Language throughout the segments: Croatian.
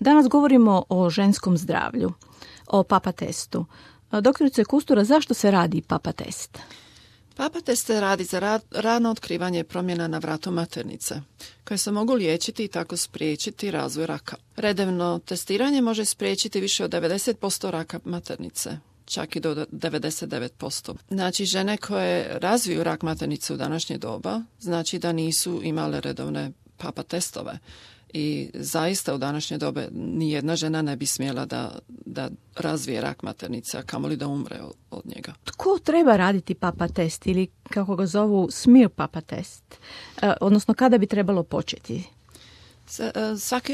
Danas govorimo o ženskom zdravlju, o papa testu. Doktorice Kustura, zašto se radi papa test? Papa test se radi za rano otkrivanje promjena na vratu maternice, koje se mogu liječiti i tako spriječiti razvoj raka. Redovno testiranje može spriječiti više od 90% raka maternice, čak i do 99%. Znači, žene koje razviju rak maternice u današnje doba, znači da nisu imale redovne papa testove. I zaista u današnje dobe nijedna žena ne bi smjela da razvije rak maternice, a kamoli da umre od njega. Tko treba raditi papa test ili kako ga zovu smear papa test? Odnosno kada bi trebalo početi?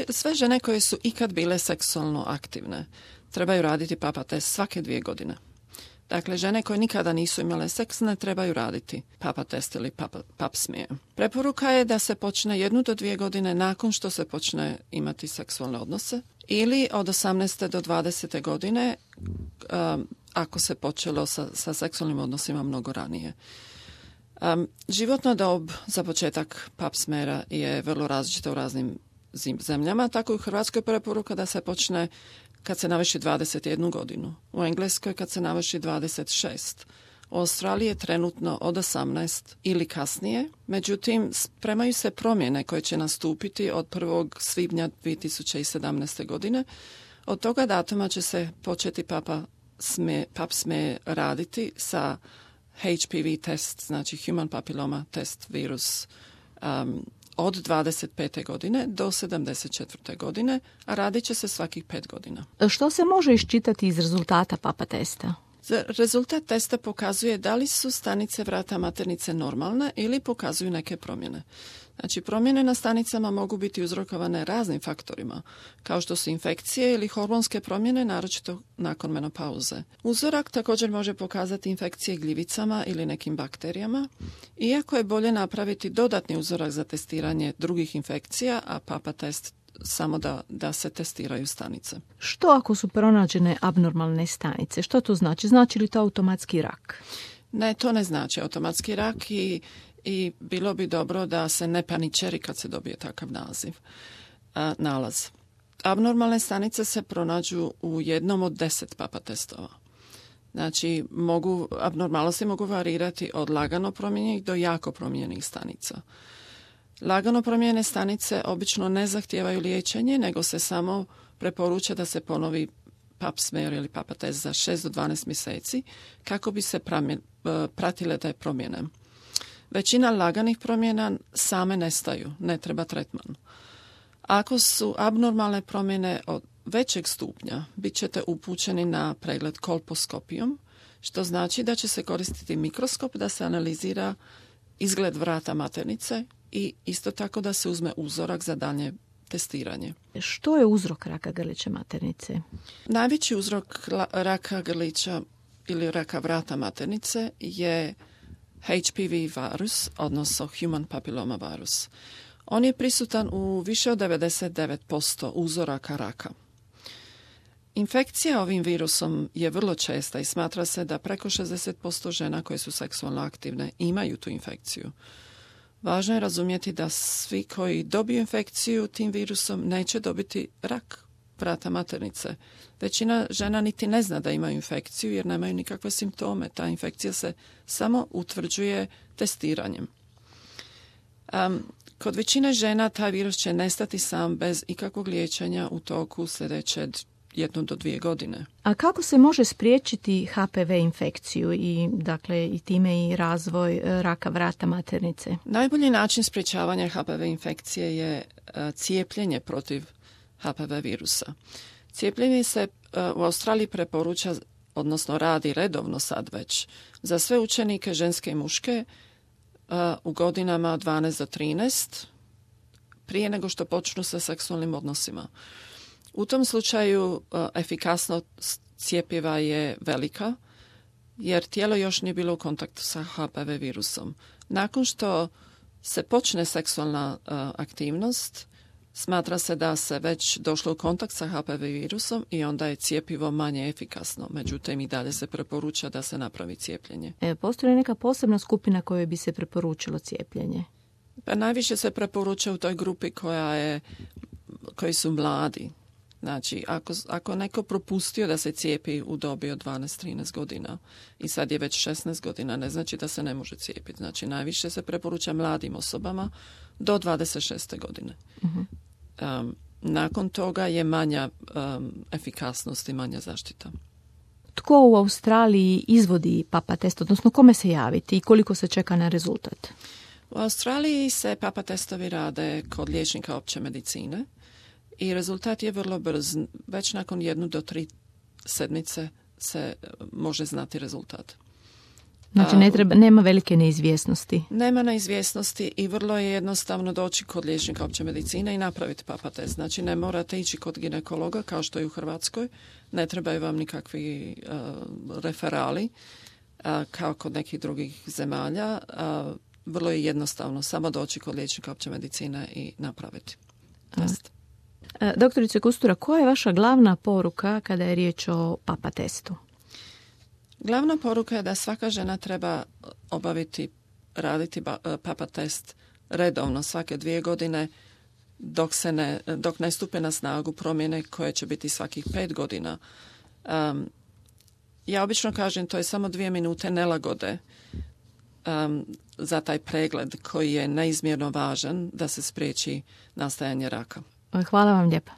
Sve žene koje su ikad bile seksualno aktivne trebaju raditi papa test svake 2 godine. Dakle, žene koje nikada nisu imale seks ne trebaju raditi papa test ili pap smear. Preporuka je da se počne 1 do 2 godine nakon što se počne imati seksualne odnose ili od 18. do 20. godine ako se počelo sa seksualnim odnosima mnogo ranije. Životna dob za početak pap smeara je vrlo različita u raznim zemljama, tako i u Hrvatskoj preporuka da se počne kad se navrši 21 godinu, u Engleskoj kad se navrši 26, u Australiji je trenutno od 18 ili kasnije, međutim spremaju se promjene koje će nastupiti od 1. svibnja 2017. godine. Od toga datuma će se početi pap smear raditi sa HPV test, znači Human Papilloma test virus, od 25. godine do 74. godine, a radit će se svakih 5 godina. Što se može iščitati iz rezultata papa testa? Rezultat testa pokazuje da li su stanice vrata maternice normalne ili pokazuju neke promjene. Znači, promjene na stanicama mogu biti uzrokovane raznim faktorima, kao što su infekcije ili hormonske promjene, naročito nakon menopauze. Uzorak također može pokazati infekcije gljivicama ili nekim bakterijama, iako je bolje napraviti dodatni uzorak za testiranje drugih infekcija, a papa test samo da se testiraju stanice. Što ako su pronađene abnormalne stanice? Što to znači? Znači li to automatski rak? Ne, to ne znači automatski rak i bilo bi dobro da se ne paničeri kad se dobije takav nalaz. Abnormalne stanice se pronađu u jednom od 10 papa testova. Znači, abnormalnosti mogu varirati od lagano promijenjenih do jako promijenjenih stanica. Lagano promijenjene stanice obično ne zahtijevaju liječenje, nego se samo preporuča da se ponovi pap smear ili papa test za 6 do 12 mjeseci kako bi se pratile te promjene. Većina laganih promjena same nestaju, ne treba tretman. Ako su abnormalne promjene od većeg stupnja, bit ćete upućeni na pregled kolposkopijom, što znači da će se koristiti mikroskop da se analizira izgled vrata maternice i isto tako da se uzme uzorak za daljnje testiranje. Što je uzrok raka grlića maternice? Najveći uzrok raka grlića ili raka vrata maternice je HPV virus, odnosno Human Papilloma virus. On je prisutan u više od 99% uzoraka raka. Infekcija ovim virusom je vrlo česta i smatra se da preko 60% žena koje su seksualno aktivne imaju tu infekciju. Važno je razumjeti da svi koji dobiju infekciju tim virusom neće dobiti rak vrata maternice. Većina žena niti ne zna da imaju infekciju jer nemaju nikakve simptome. Ta infekcija se samo utvrđuje testiranjem. Kod većine žena taj virus će nestati sam bez ikakvog liječenja u toku sljedeće 1 do 2 godine. A kako se može spriječiti HPV infekciju i time i razvoj raka vrata maternice? Najbolji način sprječavanja HPV infekcije je cijepljenje protiv HPV virusa. Cijepljenje se u Australiji preporuča, odnosno radi redovno sad već, za sve učenike ženske i muške u godinama 12 do 13 prije nego što počnu sa seksualnim odnosima. U tom slučaju efikasnost cjepiva je velika jer tijelo još nije bilo u kontaktu sa HPV virusom. Nakon što se počne seksualna aktivnost, smatra se da se već došlo u kontakt sa HPV virusom i onda je cjepivo manje efikasno. Međutim, i dalje se preporuča da se napravi cijepljenje. Postoji neka posebna skupina kojoj bi se preporučilo cijepljenje? Pa najviše se preporuča u toj grupi koji su mladi. Znači, ako neko propustio da se cijepi u dobi od 12-13 godina i sad je već 16 godina, ne znači da se ne može cijepiti. Znači, najviše se preporuča mladim osobama do 26. godine. Nakon toga je manja efikasnost i manja zaštita. Tko u Australiji izvodi PAPA test, odnosno kome se javiti i koliko se čeka na rezultat? U Australiji se PAPA testovi rade kod liječnika opće medicine i rezultat je vrlo brz. Već nakon 1 do 3 sedmice se može znati rezultat. Znači nema velike neizvjesnosti. Nema neizvjesnosti i vrlo je jednostavno doći kod liječnika opće medicine i napraviti PAPA test. Znači ne morate ići kod ginekologa kao što je u Hrvatskoj. Ne trebaju vam nikakvi referali kao kod nekih drugih zemalja. Vrlo je jednostavno samo doći kod liječnika opće medicine i napraviti test. Doktorice Kustura, koja je vaša glavna poruka kada je riječ o PAPA testu? Glavna poruka je da svaka žena treba raditi PAPA test redovno svake 2 godine dok ne stupe na snagu promjene koje će biti svakih 5 godina. Ja obično kažem to je samo 2 minute nelagode za taj pregled koji je neizmjerno važan da se spriječi nastajanje raka. Hvala vam lijepa.